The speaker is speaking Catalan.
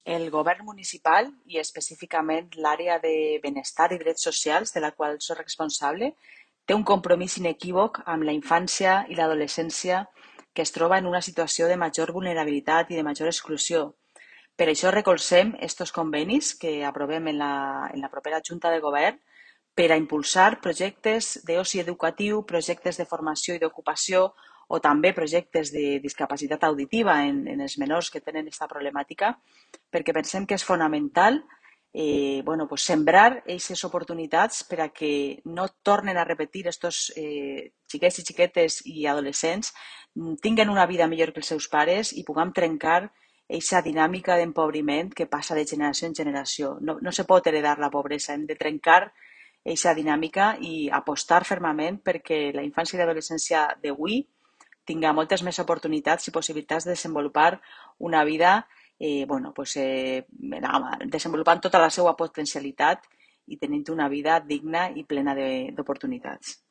El govern municipal i específicament l'àrea de benestar i drets socials, de la qual soc responsable, té un compromís inequívoc amb la infància i l'adolescència que es troba en una situació de major vulnerabilitat i de major exclusió. Per això recolzem estos convenis que aprovem en la propera Junta de Govern per a impulsar projectes d'oci educatiu, projectes de formació i d'ocupació o també projectes de discapacitat auditiva en els menors que tenen aquesta problemàtica, perquè pensem que és fonamental pues sembrar aquestes oportunitats per a que no tornen a repetir estos xiquets i xiquetes i adolescents tinguen una vida millor que els seus pares i puguem trencar aquesta dinàmica d'empobriment que passa de generació en generació. No se pot heredar la pobresa, hem de trencar aquesta dinàmica i apostar fermament perquè la infància i l'adolescència d'avui tinga moltes més oportunitats i possibilitats de desenvolupar una vida desenvolupant tota la seva potencialitat i tenint una vida digna i plena d'oportunitats.